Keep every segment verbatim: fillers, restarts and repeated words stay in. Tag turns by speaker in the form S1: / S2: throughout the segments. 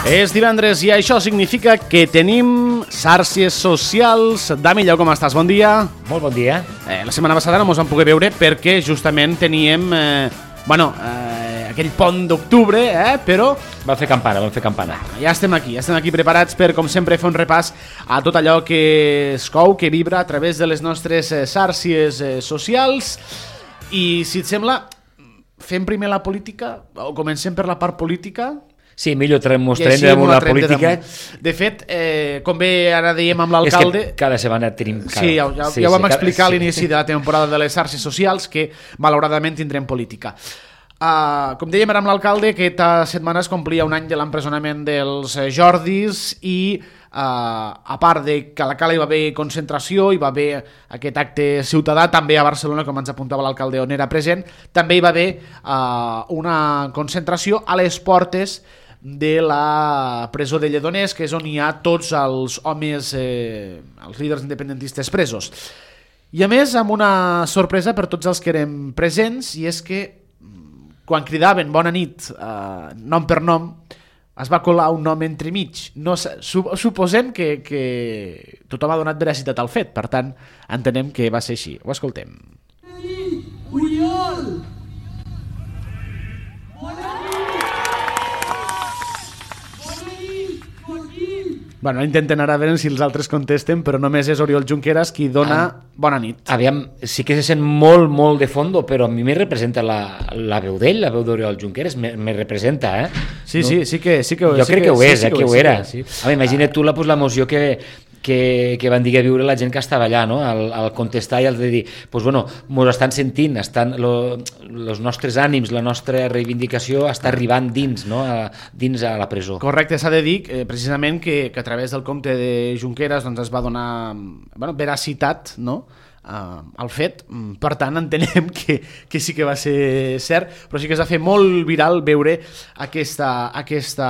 S1: És divendres i això significa que tenim xarxes socials. Dami Llau, com estàs? Bon dia.
S2: Molt bon dia.
S1: Eh, la setmana passada no mos vam poder veure perquè justament teníem eh, bueno, eh, aquell pont d'octubre, eh, però...
S2: Vam fer campana, vam fer campana.
S1: Ja estem aquí, ja estem aquí preparats per, com sempre, fer un repàs a tot allò que es cou, que vibra a través de les nostres eh, xarxes eh, socials. I, si et sembla, fem primer la política, o comencem per la part política...
S2: Sí, millor mostrem damunt la política.
S1: De fet, eh, com bé ara dèiem amb l'alcalde...
S2: És que cada setmana tenim... Cada...
S1: Sí, ja, ja, sí, ja ho vam sí, explicar cada... a l'inici de la temporada de les xarxes socials, que malauradament tindrem política. Uh, com dèiem ara amb l'alcalde, aquesta setmana es complia un any de l'empresonament dels Jordis i uh, a part de que a la Cala hi va haver concentració, hi va haver aquest acte ciutadà, també a Barcelona, com ens apuntava l'alcalde on era present, també hi va haver uh, una concentració a les portes de la presó de Lledoners, que és on hi ha tots els homes, eh, els líders independentistes presos. I a més, amb una sorpresa per tots els que érem presents, i és que quan cridaven bona nit, eh, nom per nom, es va colar un nom entremig. No, suposem que, que tothom ha donat veracitat al fet, per tant, entenem que va ser així. Ho escoltem. Oriol! Bona nit! Bueno, intenten ara veure si els altres contesten, però només és Oriol Junqueras qui dona ah, bona nit.
S2: Aviam, sí que se sent molt, molt de fondo, però a mi me representa la, la veu d'ell, la veu d'Oriol Junqueras, me, me representa, eh?
S1: Sí, no? sí, sí que, sí que...
S2: Jo
S1: sí
S2: crec que, que ho és, sí, eh, que, que ho era.
S1: Sí, sí.
S2: A veure, imagina't tu la, pues, l'emoció que... Que, que van dir a viure la gent que estava allà, no? al, al contestar i al de dir, pues, bueno, mos estan sentint, estan lo, los nostres ànims, la nostra reivindicació està arribant dins, no? a, dins a la presó.
S1: Correcte, s'ha de dir eh, precisament que, que a través del compte de Junqueras doncs, es va donar bueno, veracitat, no? Uh, el fet, per tant entenem que, que sí que va ser cert, però sí que es va fer molt viral veure aquesta, aquesta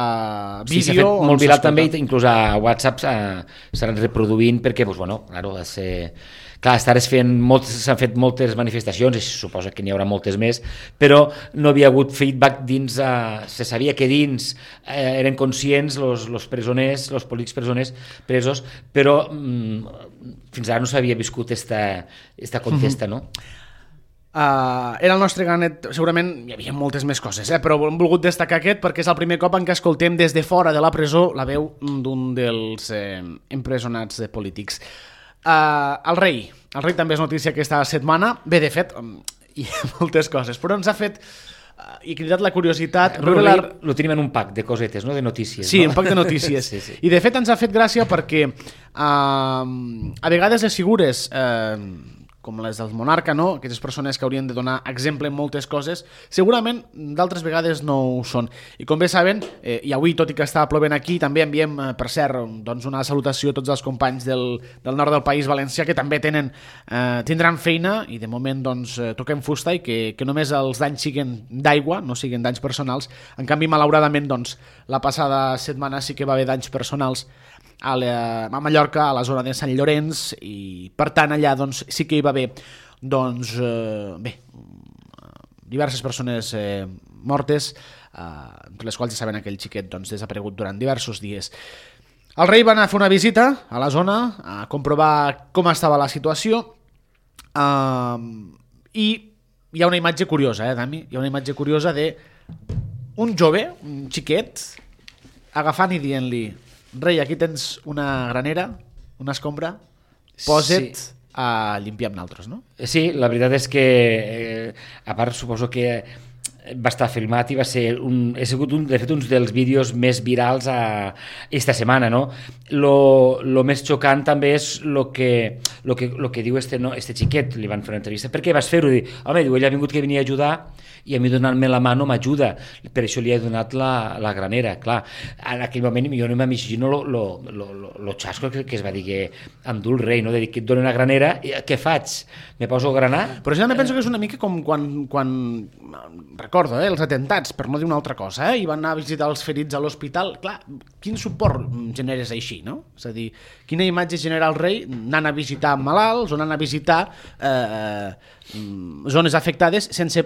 S1: vídeo.
S2: Sí, s'ha fet molt viral també, inclús a WhatsApp s'han reproduint perquè, pues, bueno, claro, va ser... Clar, s'han fet moltes manifestacions, i se suposa que n'hi haurà moltes més, però no havia hagut feedback dins, eh, se sabia que dins eh, eren conscients els presoners, els polítics presoners presos, però mm, fins ara no s'havia viscut aquesta contesta, no?
S1: Uh, era el nostre granet, segurament hi havia moltes més coses, eh? Però hem volgut destacar aquest perquè és el primer cop en què escoltem des de fora de la presó la veu d'un dels eh, empresonats de polítics. Uh, el rei, el rei també és notícia aquesta setmana, bé, de fet, um, hi ha moltes coses, però ens ha fet uh, i cridat la curiositat.
S2: El rei la... lo tenim en un pack de cosetes, no? De notícies.
S1: Sí,
S2: no?
S1: un pack de notícies.
S2: sí, sí.
S1: I de fet ens ha fet gràcia perquè uh, a vegades les figures... Uh, com les del monarca, no? Aquestes persones que haurien de donar exemple en moltes coses, segurament d'altres vegades no ho són. I com bé saben, eh, i avui, tot i que està plovent aquí, també enviem, eh, per cert, doncs una salutació a tots els companys del, del nord del País Valencià que també tenen, eh, tindran feina i de moment doncs, eh, toquem fusta i que, que només els danys siguin d'aigua, no siguin danys personals. En canvi, malauradament, doncs, la passada setmana sí que va haver danys personals a, la, a Mallorca, a la zona de Sant Llorenç, i per tant allà doncs, sí que hi va haver doncs, eh, bé, diverses persones eh, mortes, eh, entre les quals ja saben aquell xiquet doncs, desaparegut durant diversos dies. El rei va anar a fer una visita a la zona a comprovar com estava la situació, eh, i hi ha una imatge curiosa, eh, Dami? Hi ha una imatge curiosa de un jove, un xiquet, agafant i dient-li: rei, aquí tens una granera, una escombra, posa't sí. a limpiar amb naltros, no?
S2: Sí, la veritat és que, eh, a part, suposo que va estar filmat i va ser un, ha sigut un, de fet, uns dels vídeos més virals a, esta setmana, no? Lo, lo més xocant també és lo que, lo que, lo que diu este, no, este xiquet, li van fer una entrevista. Per què vas fer-ho? Diu, home, diu, ell ha vingut que venia a ajudar i a mi donant-me la mà no m'ajuda, per això li he donat la, la granera. Clar, en aquell moment jo no m'imagino lo, lo, lo, lo, lo xasco que, que es va dir que endú el rei, no? De dir que et dona una granera, i què faig? Me poso a granar?
S1: Però jo també penso que és una mica com quan, quan recordo, eh, els atentats, per no dir una altra cosa, eh, i van anar a visitar els ferits a l'hospital. Clar, quin suport generes així, no? És a dir, quina imatge genera el rei anant a visitar malalts o anant a visitar eh, zones afectades sense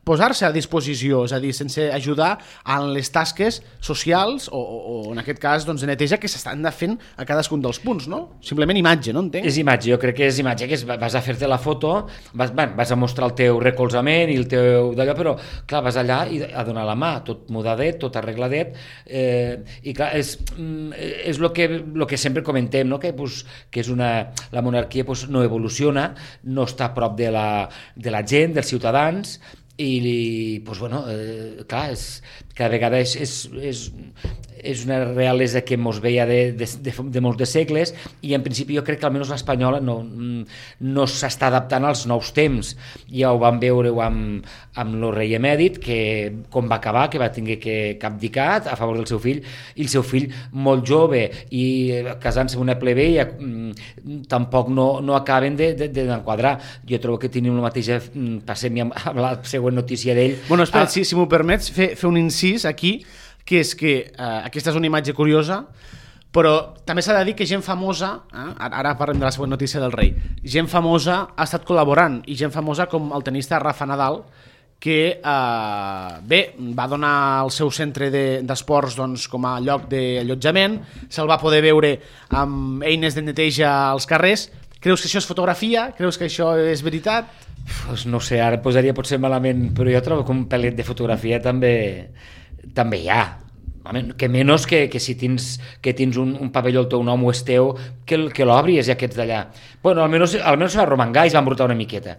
S1: posar-se a disposició, és a dir, sense ajudar en les tasques socials o, o, o en aquest cas doncs, de neteja que s'estan fent a cadascun dels punts, no? Simplement imatge, no entenc?
S2: És imatge, jo crec que és imatge, que és, vas a fer-te la foto, vas, bueno, vas a mostrar el teu recolzament i el teu d'allò, però clar, vas allà i a donar la mà, tot mudadet, tot arregladet, eh, i clar, és, és lo que, lo que sempre comentem, no? que, pues, que és una, la monarquia pues, no evoluciona, no està a prop de la, de la gent, dels ciutadans, i pues, bueno, eh, clar, és, cada vegada és, és, és, és una realesa que mos veia de, de, de, de molts de segles i en principi jo crec que almenys l'espanyola no, no s'està adaptant als nous temps. Ja ho vam veure amb, amb el rei emèrit, que com va acabar, que va tenir que abdicar a favor del seu fill, i el seu fill molt jove i casant-se amb una plebeia tampoc no, no acaben d'enquadrar. De, de, jo trobo que tenim la mateixa, passem amb la següent notícia d'ell.
S1: Bueno, espera, ah, si, si m'ho permets, fer, fer un incís aquí, que és que eh, aquesta és una imatge curiosa, però també s'ha de dir que gent famosa, eh, ara parlem de la següent notícia del rei, gent famosa ha estat col·laborant, i gent famosa com el tenista Rafa Nadal, que eh, bé, va donar el seu centre d'esports de, doncs, com a lloc d'allotjament, se'l va poder veure amb eines de neteja als carrers. Creus que això és fotografia? Creus que això és veritat?
S2: Pues no sé, ara posaria potser malament, però jo trobo que un pel·let de fotografia també, també hi ha. Que menys que, que si tens, que tens un, un pavelló al teu nom o és teu, que, que l'obris i aquests d'allà. Bueno, almenys, almenys se va romangar i es va embrutar una miqueta.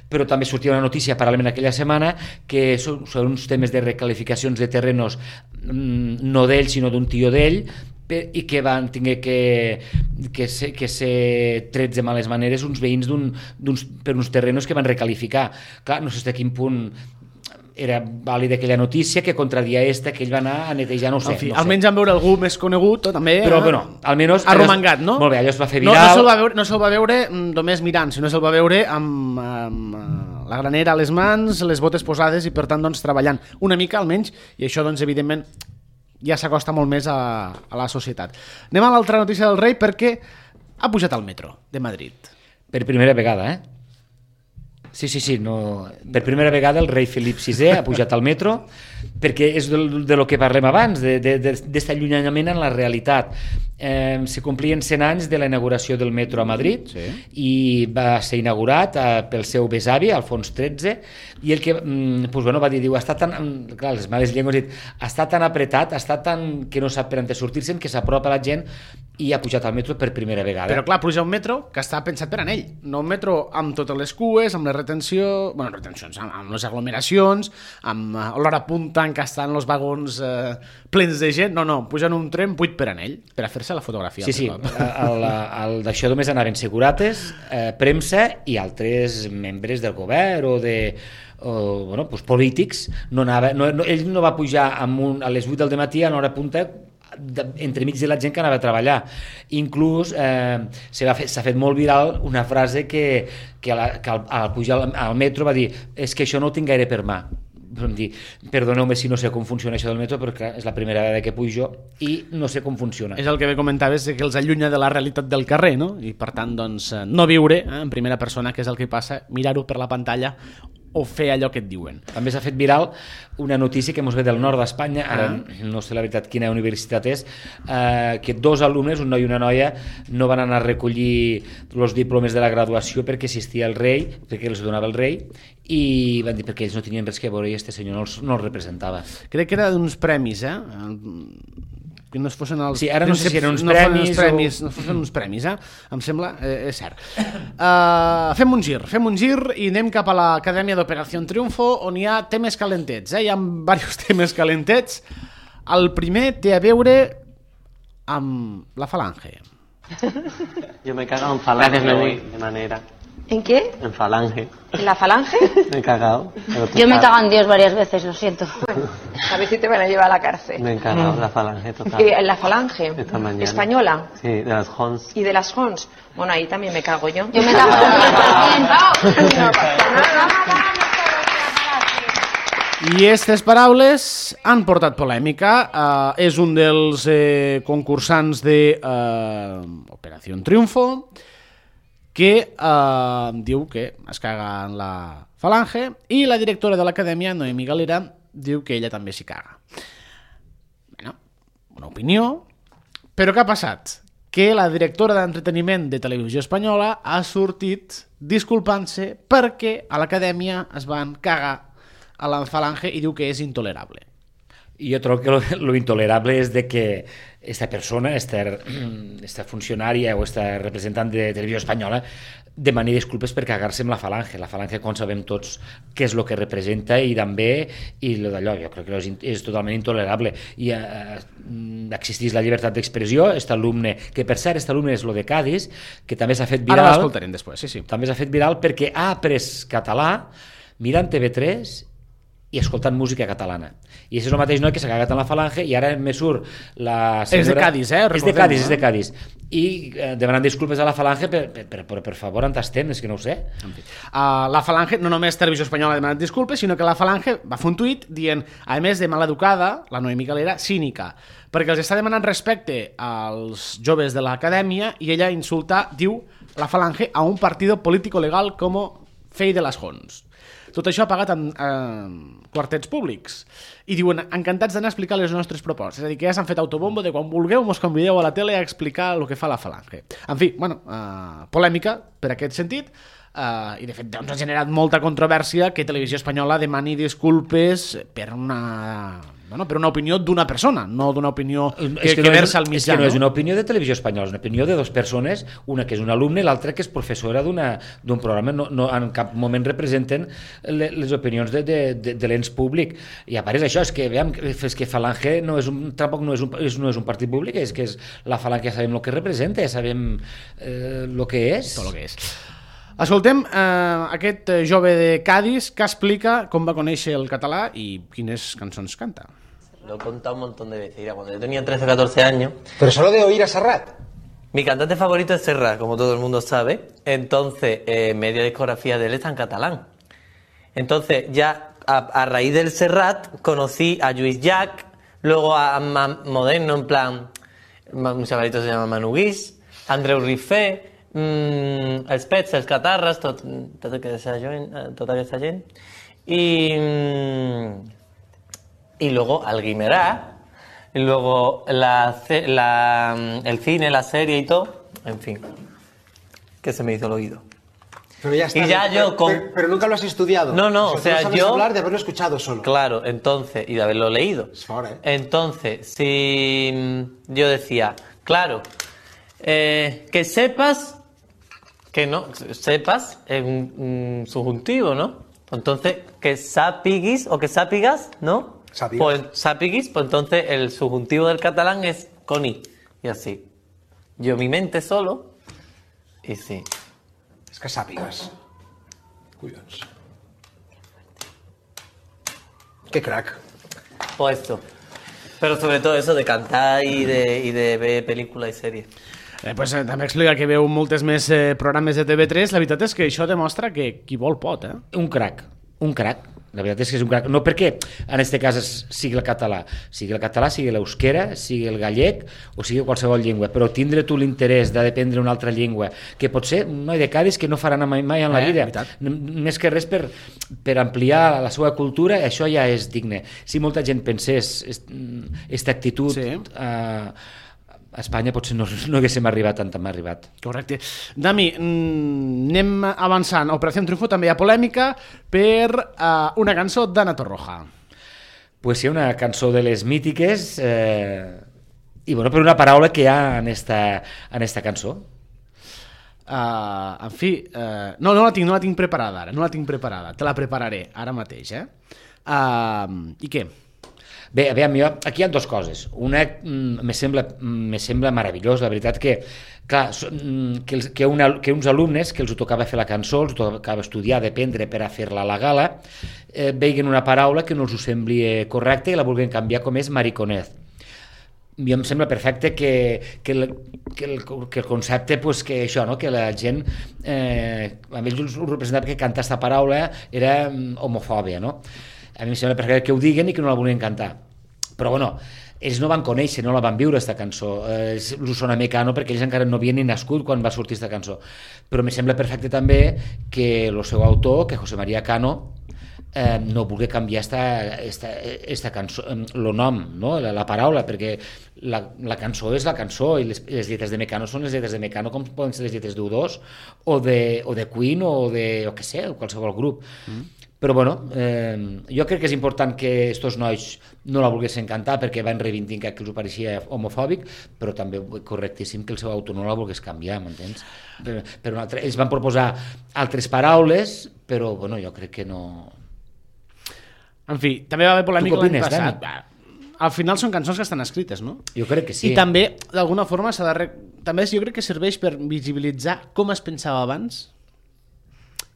S2: Però també sortia una notícia paral·lelament aquella setmana que són, són uns temes de recalificacions de terrenos no d'ell sinó d'un tio d'ell, i que van tenir que, que, ser, que ser trets de males maneres uns veïns d'un, d'uns, per uns terrenos que van recalificar. Clar, no sé a quin punt era vàlida aquella notícia que contradia esta, que ell va anar a netejar, no ho sé.
S1: En fi,
S2: no
S1: almenys
S2: sé.
S1: en veure algú més conegut, també...
S2: Però, bueno, almenys...
S1: Arromangat, no?
S2: Molt bé, allò es va fer
S1: viral. No, no se'l va veure, no se'l va veure només mirant, sinó se'l va veure amb, amb la granera a les mans, les botes posades i, per tant, doncs, treballant una mica, almenys, i això, doncs, evidentment, ja s'acosta molt més a, a la societat. Anem a l'altra notícia del rei, perquè ha pujat al metro de Madrid.
S2: Per primera vegada, eh? Sí, sí, sí, no... per primera vegada el rei Felip sisè ha pujat al metro, perquè és de, de lo que parlem abans, d'aquest allunyament en la realitat. Eh, se complien cent anys de la inauguració del metro a Madrid, sí. I va ser inaugurat eh, pel seu besavi, Alfons tretze, i el que mm, pues, bueno, va dir, diu, està tan, clar, les males llengües, dit, està tan apretat, està tan que no sap per on sortir-se'n, que s'apropa la gent i ha pujat al metro per primera vegada.
S1: Però clar, puja un metro que està pensat per a ell, no un metro amb totes les cues, amb les retenció, bueno, retencions, amb, amb les aglomeracions, amb uh, l'hora punta en què estan els vagons uh, plens de gent, no, no, pugen un tren buit per a ell, per a fer-se la fotografia.
S2: Sí, sí, el, el, d'això només anaven segurates, eh, premsa i altres membres del govern o de o, bueno, pues, polítics. No anava, no, no, ell no va pujar amb un, a les vuit del matí a l'hora punta de, entremig de la gent que anava a treballar. Inclús eh, s'ha fet, fet molt viral una frase que, que, a la, que al, al pujar al, al metro va dir, és que això no ho tinc gaire per mà. Dir, perdoneu-me si no sé com funciona això del metro, perquè és la primera vegada que pujo i no sé com funciona.
S1: És el que bé comentaves, que els allunya de la realitat del carrer, no? I per tant, doncs, no viure eh, en primera persona, que és el que passa, mirar-ho per la pantalla o fer allò que et diuen.
S2: També s'ha fet viral una notícia que ens ve del nord d'Espanya, ara ah. no sé la veritat quina universitat és, eh, que dos alumnes, un noi i una noia, no van anar a recollir els diplomes de la graduació perquè assistia el rei, perquè els donava el rei, i van dir perquè ells no tenien res que veure i este senyor no els, no els representava.
S1: Crec que era d'uns premis, eh? Que no es fossin els...
S2: Sí, ara no sé si eren uns
S1: no
S2: premis,
S1: uns premis o... No fossin uns premis, eh? Em sembla, eh, és cert. Uh, fem un gir, fem un gir i anem cap a l'Acadèmia d'Operació Triunfo, on hi ha temes calentets, eh? Hi ha diversos temes calentets. El primer té a veure amb la falange.
S3: Yo me he cagado en falange hoy, de manera.
S4: ¿En qué?
S3: En falange.
S4: ¿En la falange?
S3: Me he cagado.
S4: Yo me cago en Dios varias veces, lo siento.
S5: A ver si te van a llevar a la cárcel.
S3: Me he cagado en la falange total.
S5: ¿Y en la falange?
S3: Esta mañana.
S5: ¿Española?
S3: Sí, de las Hons.
S5: ¿Y de las Hons? Bueno, ahí también me cago yo.
S4: Yo me cago en el cien por ciento.
S1: I aquestes paraules han portat polèmica. Uh, és un dels eh, concursants de uh, Operació Triunfo que eh, diu que es caga en la Falange, i la directora de l'acadèmia, Noemí Galera, diu que ella també s'hi caga. Bueno, una opinió, però què ha passat? Que la directora d'entreteniment de Televisió Espanyola ha sortit disculpant-se perquè a l'acadèmia es van cagar a la Falange i diu que és intolerable.
S2: Jo trobo que lo, lo intolerable és de que esta persona, esta, esta funcionària o esta representant de Televisió Espanyola demani disculpes per cagar-se amb la Falange. La Falange, com sabem tots, què és el que representa i també, i lo d'allò, jo crec que és, és totalment intolerable. I eh, existeix la llibertat d'expressió, aquest alumne, que per cert, aquest alumne és lo de Cádiz, que també s'ha fet viral.
S1: Ara l'escoltarem després, sí, sí.
S2: També s'ha fet viral perquè ha après català mirant T V tres i escoltant música catalana. I això és el mateix noi que s'ha cagat en la Falange i ara me surt la senyora...
S1: És de Cádiz, eh?
S2: És de Cádiz, és de Cádiz. I eh, demanant disculpes a la Falange, per, per, per, per, per favor, on estem? És que no ho sé.
S1: Uh, la Falange, no només Televisió Espanyola ha demanat disculpes, sinó que la Falange va fer un tuit dient, a més de maleducada, la Noemí Galera, cínica, perquè els està demanant respecte als joves de l'acadèmia i ella insulta, diu, la Falange a un partido político legal como Fey de las Jons. Tot això ha pagat en eh, quartets públics. I diuen, encantats d'anar a explicar les nostres propostes. És a dir, que ja s'han fet autobombo de quan vulgueu mos convideu a la tele a explicar el que fa la Falange. En fi, bueno, eh, polèmica per aquest sentit, eh, i de fet doncs, ha generat molta controvèrsia que Televisió Espanyola demani disculpes per una... Bueno, per una opinió d'una persona, no d'una opinió que,
S2: que,
S1: que
S2: no
S1: versa al
S2: és,
S1: mitjà.
S2: És que no és una opinió de Televisió Espanyola, és una opinió de dues persones, una que és un alumne i l'altra que és professora d'un programa. No, no, en cap moment representen le, les opinions de, de, de, de l'ens públic. I a part és això, és que, veiem, és que Falange no és un, tampoc no és un, és, no és un partit públic, és que és la Falange, ja sabem el que representa, ja sabem eh, el que és.
S1: Tot el que és. Escoltem eh, aquest jove de Cádiz que explica com va conèixer el català i quines cançons canta.
S6: Lo he contado un montón de veces. Mira, cuando yo tenía trece o catorce años...
S7: Pero solo de oír a Serrat.
S6: Mi cantante favorito es Serrat, como todo el mundo sabe. Entonces, eh, media discografía de él está en catalán. Entonces, ya a, a raíz del Serrat, conocí a Lluís Llach, luego a, a Moderno, en plan... Un chavalito se llama Manu Guix, Andreu Rifé, mmm, els Pets, els Catarras, tot, tot aquesta gent, tota aquesta gent. I... Mmm, y luego al Guimerá, y luego la, la, el cine, la serie y todo, en fin, que se me hizo el oído.
S7: Pero ya está.
S6: Y ya
S7: pero,
S6: yo con...
S7: pero, pero nunca lo has estudiado.
S6: No, no, o sea,
S7: o sea no
S6: yo...
S7: hablar de haberlo escuchado solo.
S6: Claro, entonces, y de haberlo leído.
S7: Es ahora, ¿eh?
S6: Entonces, si yo decía, claro, eh, que sepas, que no, sepas es un, un subjuntivo, ¿no? Entonces, que sapiguis o que sapigas, ¿no?
S7: Sapigas.
S6: Pues sapiguis, pues entonces el subjuntivo del catalán es con i. Y así. Yo mi mente solo, y sí.
S7: És que sàpigues. Collons. Qué crack.
S6: Pues esto. Pero sobre todo eso de cantar y de, y de ver películas y series.
S1: Eh, pues, eh, també explica que veu moltes més eh, programes de T V tres. La veritat és que això demostra que qui vol pot, eh?
S2: Un crac, un crac. La veritat és que és un crac. No perquè en aquest cas sigui el català, sigui el català, sigui l'euskera, sigui el gallec o sigui qualsevol llengua, però tindre tu l'interès d'aprendre una altra llengua, que pot ser un noi de Cádiz que no farà mai, mai en la
S1: eh,
S2: vida,
S1: veritat.
S2: més que res per, per ampliar la seva cultura, això ja és digne. Si molta gent pensés aquesta actitud...
S1: Sí.
S2: Eh, a Espanya potser no, no haguéssim arribat tant com ha arribat.
S1: Correcte. Dami, anem avançant. A Operació Triunfo també hi ha polèmica per uh, una cançó d'Ana Torroja.
S2: Pues sí, una cançó de les mítiques eh, i bueno, per una paraula que hi ha en esta, en esta cançó.
S1: Uh, en fi, uh, no, no la tinc, no la tinc preparada ara, no la tinc preparada. Te la prepararé ara mateix, eh? Uh, I què?
S2: Bé, aviam, jo, aquí hi ha dues coses. Una mm, me sembla, mm, me sembla meravellós, la veritat que, clar, que, els, que, una, que uns alumnes que els tocava fer la cançó, els tocava estudiar, dependre per a fer-la a la gala, eh, veien una paraula que no els ho sembli correcta i la vulguin canviar com és mariconez. Jo em sembla perfecte que, que, el, que, el, que el concepte, pues, que això, no? Que la gent, eh, a ells us representava que cantar aquesta paraula era homofòbia, no? A mi em sembla perfecte que ho diguen i que no la volien cantar. Però bueno, ells no van conèixer, no la van viure, aquesta cançó. Eh, us sona Mecano perquè ells encara no havien ni nascut quan va sortir aquesta cançó. Però me sembla perfecte també que el seu autor, que José María Cano, eh, no vulgui canviar esta, esta, esta cançó, el nom, no? la, la paraula, perquè la, la cançó és la cançó i les, les lletres de Mecano són les lletres de Mecano com poden ser les lletres d'U dos o de, o de Queen o de, o què sé, qualsevol grup. Mm. Però bueno, eh, jo crec que és important que estos nois no la volguessin cantar perquè van reivindicar que els ho pareixia homofòbic, però també correctíssim que el seu autor no la volgués canviar, m'entens? Per, per un altre, ells van proposar altres paraules, però bueno, jo crec que no...
S1: En fi, també va haver polèmica l'any
S2: opines,
S1: passat. Dani? Al final són cançons que estan escrites, no?
S2: Jo crec que sí.
S1: I també, d'alguna forma, s'ha de... Re... també jo crec que serveix per visibilitzar com es pensava abans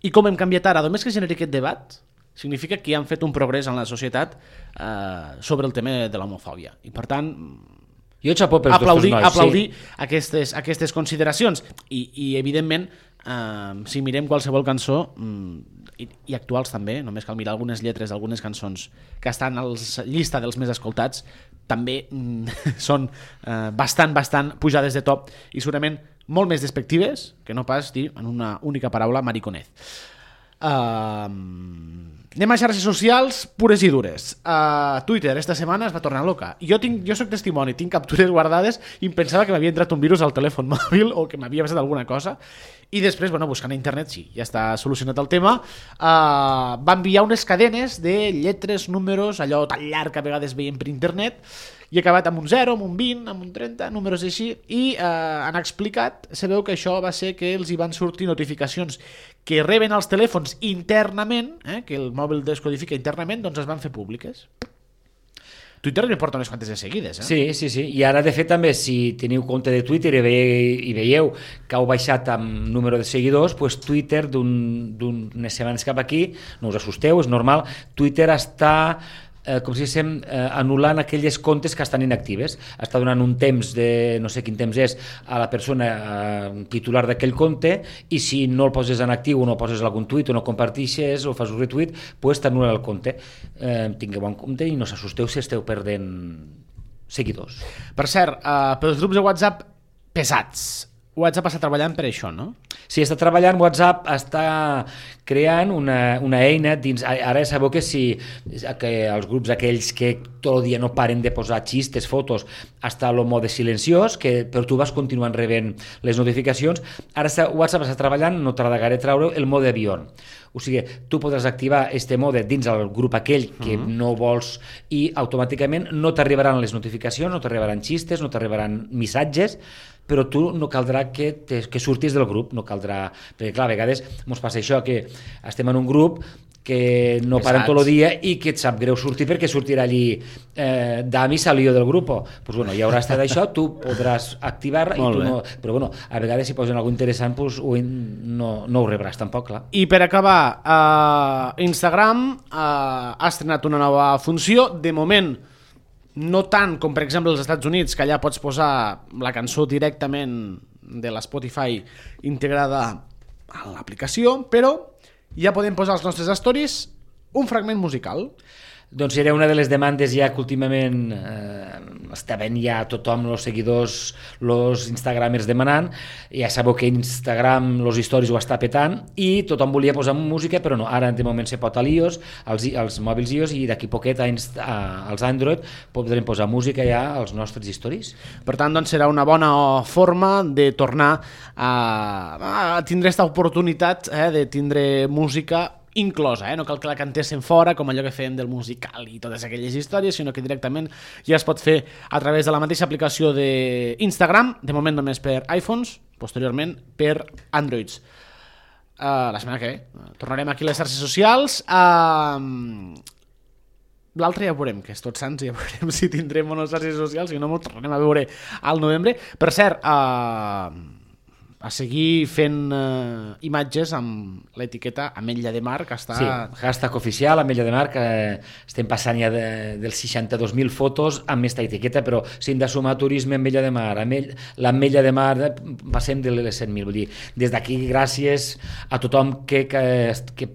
S1: i com hem canviat ara. Només que generi aquest debat significa que han fet un progrés en la societat eh, sobre el tema de l'homofòbia. I per tant,
S2: jo xapó pels
S1: aplaudir,
S2: nois,
S1: aplaudir
S2: sí.
S1: aquestes, aquestes consideracions. I, i evidentment, eh, si mirem qualsevol cançó, i, i actuals també, només cal mirar algunes lletres d'algunes cançons que estan a la llista dels més escoltats, també mm, són eh, bastant, bastant pujades de to i segurament molt més despectives que no pas dir en una única paraula mariconez. Uh, anem a xarxes socials pures i dures. uh, Twitter esta setmana es va tornar loca. Jo, tinc, jo soc testimoni, tinc captures guardades i em pensava que m'havia entrat un virus al telèfon mòbil o que m'havia passat alguna cosa i després, bueno, buscant a internet, sí, ja està solucionat el tema. uh, va enviar unes cadenes de lletres, números, allò tan llarg que a vegades veiem per internet, i ha acabat amb un zero, amb un vint, amb un trenta, números així, i eh, han explicat, sabeu que això va ser que els hi van sortir notificacions que reben els telèfons internament, eh, que el mòbil descodifica internament, doncs es van fer públiques. Twitter li porta unes quantes de seguides, eh?
S2: Sí, sí, sí. I ara, de fet, també, si teniu compte de Twitter i, ve, i veieu que heu baixat amb número de seguidors, doncs Twitter, d'unes un, setmanes cap aquí, no us assusteu, és normal, Twitter està... Eh, com si diguéssim, eh, anul·lant aquelles comptes que estan inactives. Està donant un temps de, no sé quin temps és, a la persona eh, titular d'aquell compte, i si no el poses en actiu o no poses algun tuit o no compartixes o fas un retuit, pues t'anul·la el compte. Eh, tingueu en compte i no s'assusteu si esteu perdent seguidors.
S1: Per cert, eh, pels grups de WhatsApp pesats, WhatsApp està treballant per això, no?
S2: Sí, està treballant, WhatsApp està creant una, una eina dins... Ara sabeu que si que els grups aquells que tot el dia no paren de posar xistes, fotos, està el mode silenciós, que però tu vas continuant rebent les notificacions. Ara està, WhatsApp està treballant, no tarda gaire treure, el mode avió. O sigui, tu podràs activar este mode dins el grup aquell que uh-huh. no vols i automàticament no t'arribaran les notificacions, no t'arribaran xistes, no t'arribaran missatges, però tu no caldrà que, te, que surtis del grup, no caldrà... Perquè, clar, a vegades ens passa això, que estem en un grup que no paren tot el dia i que et sap greu sortir perquè sortirà allí eh, Dami salió del grup. Pues bueno, ja haurà estat això, tu podràs activar i tu no... Però bueno, a vegades si posen alguna interessant pues, no, no ho rebràs tampoc, clar.
S1: I per acabar, uh, Instagram uh, ha estrenat una nova funció, de moment no tant com per exemple als Estats Units, que allà pots posar la cançó directament de la Spotify integrada a l'aplicació, però ja podem posar als nostres stories un fragment musical.
S2: Doncs era una de les demandes ja que últimament eh, estaven ja tothom, els seguidors, els instagramers demanant. Ja sabeu que Instagram, els stories ho està petant i tothom volia posar música, però no, ara de moment se pot a l'iOS, als, als mòbils iOS, i d'aquí poquet a, a, als Android podrem posar música ja als nostres stories.
S1: Per tant, doncs serà una bona forma de tornar a, a tindre aquesta oportunitat eh, de tindre música inclosa, eh? No cal que la cantessin fora com allò que fèiem del musical i totes aquelles històries, sinó que directament ja es pot fer a través de la mateixa aplicació d'Instagram, de moment només per iPhones, posteriorment per Androids. Uh, la setmana que ve tornarem aquí a les xarxes socials. Uh, l'altre ja veurem, que és Tots Sants, ja veurem si tindrem unes xarxes socials, si no, ens tornarem a veure al novembre. Per cert, uh, a seguir fent eh, imatges amb l'etiqueta Ametlla de Mar, que està...
S2: Sí, hashtag oficial, Ametlla de Mar, que estem passant ja de, dels seixanta-dos mil fotos amb aquesta etiqueta, però si hem de sumar turisme Ametlla de Mar, Amell, l'Ametlla de Mar, eh, passem de les cent mil. Vull dir, des d'aquí, gràcies a tothom que, que, que,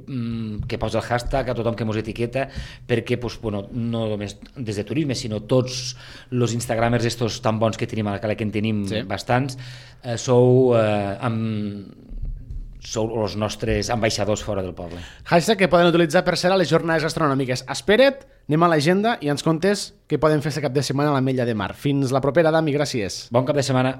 S2: que posa el hashtag, a tothom que mos etiqueta, perquè pues, bueno, no només des de turisme, sinó tots els instagramers estos tan bons que tenim a la cala, que en tenim sí. bastants, eh, sou, eh, amb, sou els nostres ambaixadors fora del poble.
S1: Hashtag que poden utilitzar per ser a les jornades gastronòmiques. Espera't, anem a l'agenda i ens contes què poden fer aquest cap de setmana a l'Ametlla de Mar. Fins la propera, Dami, gràcies.
S2: Bon cap de setmana.